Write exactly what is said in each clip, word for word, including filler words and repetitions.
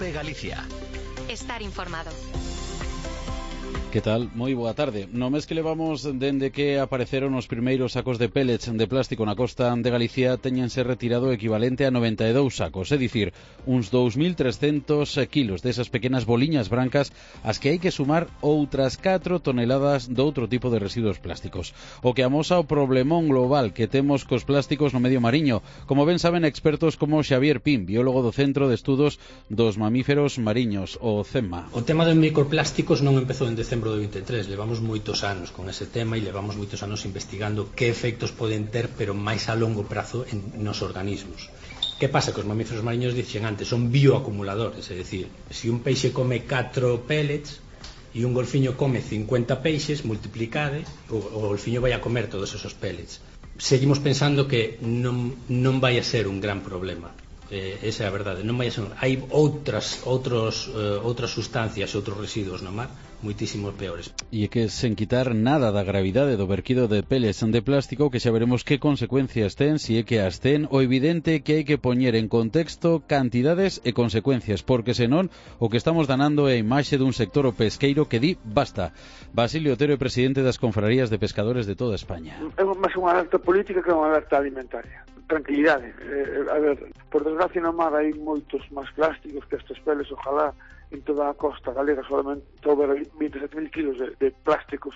COPE Galicia. Estar informado. Que tal? Moi boa tarde. No mes que levamos dende que apareceron os primeiros sacos de pellets de plástico na costa de Galicia teñense retirado o equivalente a noventa e dous sacos, é dicir, uns dous mil trescentos kilos desas pequenas boliñas brancas as que hai que sumar outras catro toneladas de outro tipo de residuos plásticos. O que amosa o problemón global que temos cos plásticos no medio mariño, como ben saben expertos como Xavier Pin, biólogo do Centro de Estudos dos Mamíferos Mariños, o CEMMA. O tema dos microplásticos non empezou en decembro do vinte e tres, levamos moitos anos con ese tema e levamos moitos anos investigando que efectos poden ter, pero máis a longo prazo en nos organismos. Que pasa? Que os mamíferos mariños dicen antes, son bioacumuladores, é dicir, se un peixe come catro pellets e un golfiño come cincuenta peixes, multiplicade, o, o golfiño vai a comer todos esos pellets. Seguimos pensando que non, non vai a ser un gran problema. Eh, esa é a verdade, non vai a ser. Hai outras outros uh, outras sustancias e outros residuos no mar moitísimos peores. E é que sen quitar nada da gravidade do verquido de pellets de plástico, que xa veremos que consecuencias ten, si é que as ten, o evidente que hai que poñer en contexto cantidades e consecuencias, porque senón o que estamos danando é a imaxe dun sector o pesqueiro que di basta. Basilio Otero é presidente das confrarías de pescadores de toda España. É máis unha alerta política que unha alerta alimentaria. Tranquilidade. Eh, a ver, por desgracia no mar hai moitos máis plásticos que estes peles, ojalá en toda a costa galega solamente houber vinte e sete mil kilos de, de plásticos.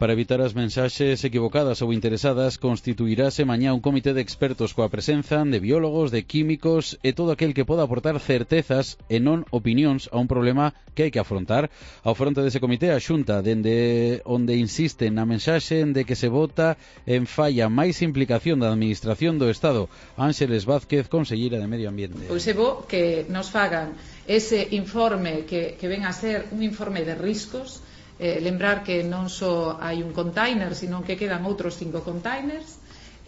Para evitar as mensaxes equivocadas ou interesadas, constituirase mañá un comité de expertos coa presenza de biólogos, de químicos e todo aquel que poda aportar certezas e non opinións a un problema que hai que afrontar. Ao fronte dese comité, a Xunta, dende onde insiste na mensaxe de que se vota en falla máis implicación da Administración do Estado. Ángeles Vázquez, conselleira de Medio Ambiente. Pois é bo que nos fagan ese informe que, que ven a ser un informe de riscos, eh, lembrar que non só hai un container, sino que quedan outros cinco containers.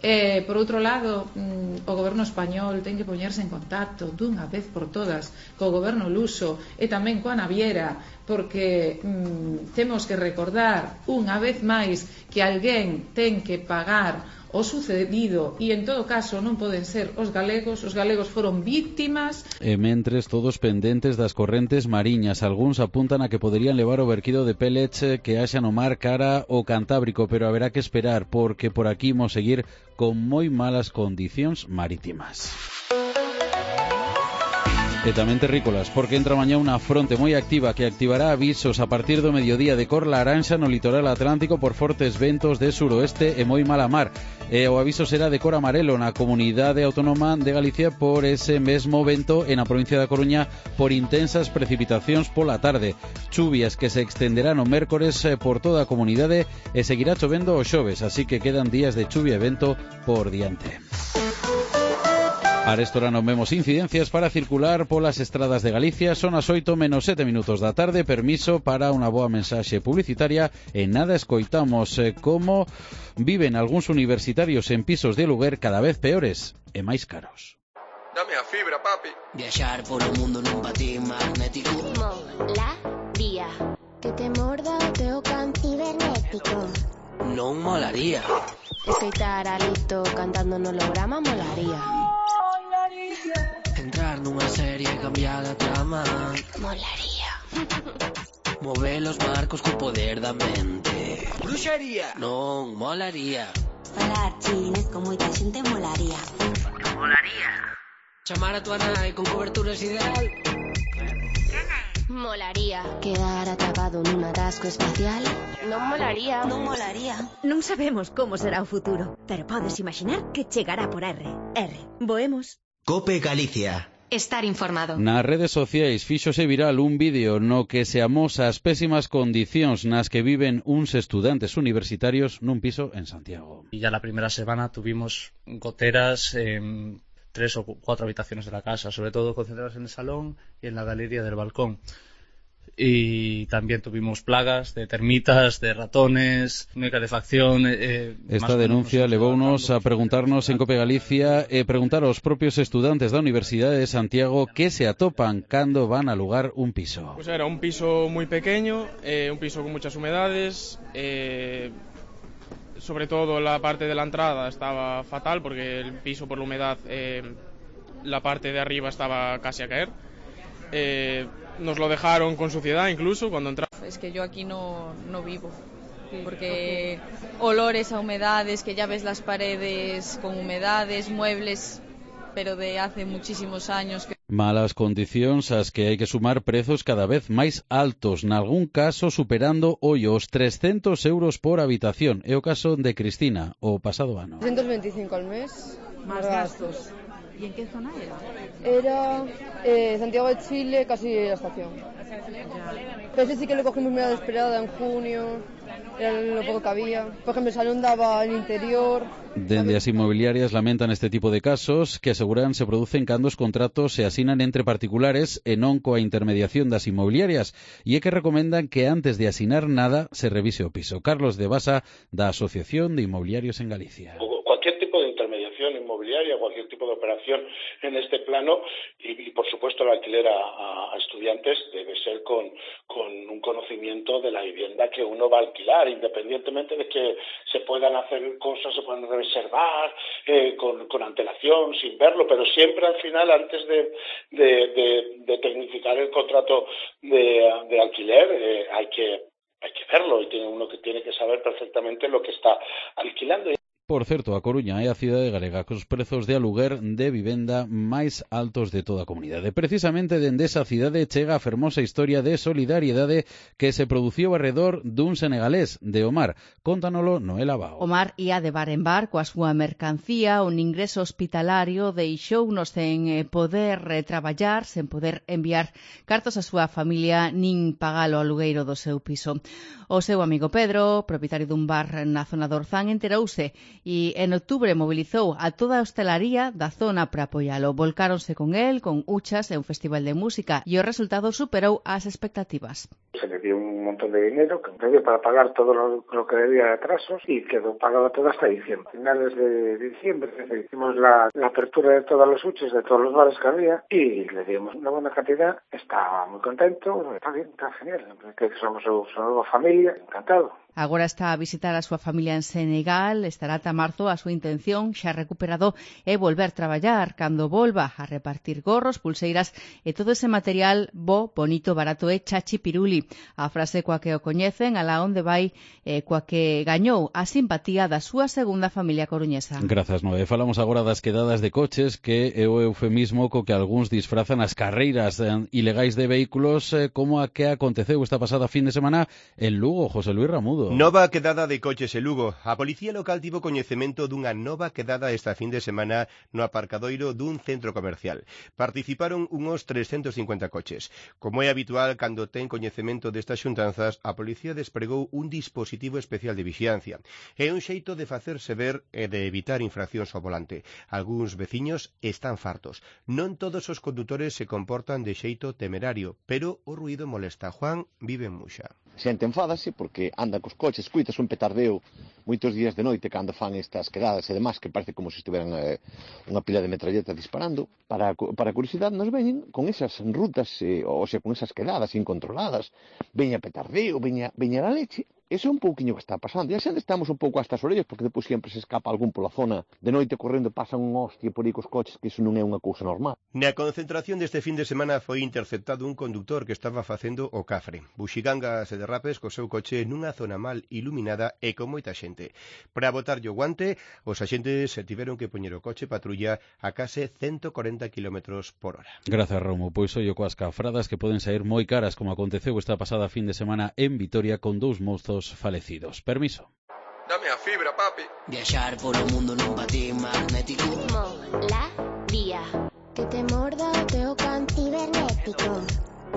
Eh, por outro lado, mm, o goberno español ten que poñerse en contacto dunha vez por todas co goberno luso e tamén coa naviera, porque mm, temos que recordar unha vez máis que alguén ten que pagar o sucedido e en todo caso non poden ser os galegos, os galegos foron víctimas. E mentres todos pendentes das correntes mariñas, algúns apuntan a que poderían levar o verquido de pellets que haxa no mar cara ao Cantábrico, pero haberá que esperar porque por aquí imos seguir con moi malas condicións marítimas. E tamén terrícolas, porque entra mañá unha fronte moi activa que activará avisos a partir do mediodía de cor laranxa no litoral atlántico por fortes ventos de suroeste e moi mala mar. E o aviso será de cor amarelo na comunidade autónoma de Galicia por ese mesmo vento e na provincia da Coruña por intensas precipitacións pola tarde. Chuvias que se extenderán o mércores por toda a comunidade e seguirá chovendo o xoves, así que quedan días de chuvia e vento por diante. Arestora non vemos incidencias para circular polas estradas de Galicia. Son as oito menos sete minutos da tarde. Permiso para unha boa mensaxe publicitaria e nada escoitamos eh, como viven algúns universitarios en pisos de aluguer cada vez peores e máis caros. Dame a fibra, papi. Viaxar polo mundo nun patín magnético. Molaría. Que te morda o teu can cibernético. Non molaría. Escoitar a Lito cantando no holograma molaría. Entrar nunha serie e cambiar a trama Molaría. Mover os marcos co poder da mente. Bruxería. Non molaría. Falar chinés con moita xente molaría. Molaría. Chamar a tua nai con cobertura ideal. Molaría. Quedar atrapado nun atasco espacial. Non molaría. Non molaría. Non sabemos como será o futuro, pero podes imaginar que chegará por R. R. Voemos. COPE Galicia. Estar informado. Nas redes sociais fíxose viral un vídeo no que se amosa as pésimas condicións nas que viven uns estudantes universitarios nun piso en Santiago. Y ya la primera semana tuvimos goteras en tres o cuatro habitaciones de la casa, sobre todo concentradas en el salón y en la galería del balcón. Y también tuvimos plagas de termitas, de ratones, no hai calefacción. Eh, Esta denuncia levounos a preguntarnos en COPE Galicia e preguntar aos propios estudantes da Universidade de Santiago que se atopan cando van a alugar un piso. Pues era un piso muy pequeño, eh, un piso con muchas humedades, eh, sobre todo la parte de la entrada estaba fatal porque el piso por la humedad, eh, la parte de arriba estaba casi a caer. eh, nos lo dejaron con suciedad incluso cuando entramos. Es que yo aquí no, no vivo, porque olores a humedades, que ya ves las paredes con humedades, muebles, pero de hace muchísimos años. Que... Malas condicións ás que hai que sumar prezos cada vez máis altos, nalgún caso superando hoy os trescentos euros por habitación. É o caso de Cristina, o pasado ano. trescientos veinticinco al mes. Más gastos. ¿Y en qué zona era? Era eh, Santiago de Chile, casi la estación. Pero ese sí que lo cogimos medio desesperada en junio, era lo poco que había. Por ejemplo, el salón daba al interior. Dende as inmobiliarias lamentan este tipo de casos que aseguran se producen cando os contratos se asinan entre particulares e non coa intermediación das inmobiliarias, e é que recomendan que antes de asinar nada se revise o piso. Carlos de Basa, da Asociación de Inmobiliarios en Galicia. Cualquier tipo de intermediación inmobiliaria, cualquier tipo de operación en este plano y, y por supuesto el alquiler a, a estudiantes debe ser con, con un conocimiento de la vivienda que uno va a alquilar, independientemente de que se puedan hacer cosas, se puedan reservar eh, con, con antelación, sin verlo, pero siempre al final, antes de, de, de, de tecnificar el contrato de, de alquiler, eh, hay que hay que verlo y tiene uno que tiene que saber perfectamente lo que está alquilando. Por certo, a Coruña é a cidade galega cos prezos de aluguer de vivenda máis altos de toda a comunidade. Precisamente dende esa cidade chega a fermosa historia de solidariedade que se produciu arredor dun senegalés, de Omar. Contanolo Noela Bao. Omar ia de bar en bar coa súa mercancía, un ingreso hospitalario deixounos sen poder traballar, sen poder enviar cartos á súa familia nin pagalo ao alugueiro do seu piso. O seu amigo Pedro, propietario dun bar na zona do Orzán, enterouse e en outubro mobilizou a toda a hostelaría da zona para apoialo. Volcáronse con el, con Uchas e un festival de música, e o resultado superou as expectativas. Se le dio un montón de dinero que dio para pagar todo lo, lo que debía de atrasos y quedó pagado todo hasta diciembre. A finales de diciembre hicimos la, la apertura de todos los Uchas, de todos los bares que había y le dimos una buena cantidad. Estaba muy contento, está bien, está genial, que somos su, su nueva familia, encantado. Agora está a visitar a súa familia en Senegal, estará ata marzo. A súa intención, xa recuperado, é volver traballar cando volva a repartir gorros, pulseiras e todo ese material bo, bonito, barato e chachi piruli. A frase coa que o coñecen, alá onde vai, eh, coa que gañou a simpatía da súa segunda familia coruñesa. Grazas, Noé. Falamos agora das quedadas de coches, que é o eufemismo co que algúns disfrazan as carreiras eh, ilegais de vehículos, eh, como a que aconteceu esta pasada fin de semana en Lugo. José Luis Ramudo. Nova quedada de coches en Lugo. A Policía Local tivo coñecemento dunha nova quedada esta fin de semana no aparcadoiro dun centro comercial. Participaron unos trescentos cincuenta coches. Como é habitual cando ten coñecemento destas xuntanzas, a Policía despregou un dispositivo especial de vixiancia. É un xeito de facerse ver e de evitar infraccións ao volante. Algúns veciños están fartos. Non todos os condutores se comportan de xeito temerario, pero o ruído molesta. Juan vive en Muxa. Xente enfádase porque anda cos coches, escuitas un petardeo moitos días de noite cando fan estas quedadas e demás, que parece como se estiveran eh, unha pila de metralletas disparando. Para, para curiosidade nos veñen con esas rutas, eh, ou sea, con esas quedadas incontroladas, veña petardeo, veña, veña la leche. Eso é un pouquiño que está pasando. E a xente estamos un pouco hasta as orellas, porque depois sempre se escapa algún pola zona. De noite correndo pasan un hostia por aí cos coches, que iso non é unha cousa normal. Na concentración deste fin de semana foi interceptado un conductor que estaba facendo o cafre. Buxigangas e derrapes co seu coche nunha zona mal iluminada e con moita xente. Para botarlle o guante, os axentes se tiveron que poñer o coche patrulla a case ciento corenta kilómetros por hora. Grazas, Romo. Pois ollo coas cafradas que poden sair moi caras, como aconteceu esta pasada fin de semana en Vitoria con dous mozos falecidos. Permiso. Dame a fibra, papi. Viaxar polo mundo nun patín magnético. Molaría. Que te morda o teu can cibernético.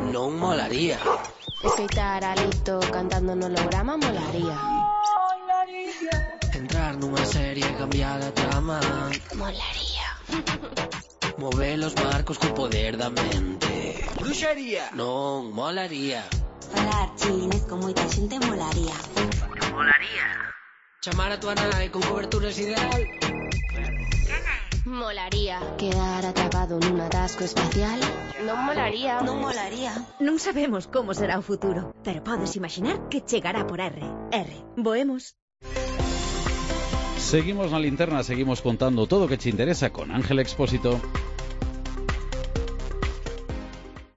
Non molaría. Escoitar a Lito cantando no holograma molaría. Molaría. Entrar nunha serie e cambiar a trama. Molaría. Mover os barcos co poder da mente. Bruxería. Non molaría. Falar chinés con moita xente molaría. Molaría. Chamar a tua nai con coberturas ideal. Molaría. Quedar atrapado nun atasco espacial. Non molaría. Non molaría. Non sabemos como será o futuro, pero podes imaginar que chegará por R. R. Voemos. Seguimos na linterna, seguimos contando todo o que te interesa con Ángel Expósito.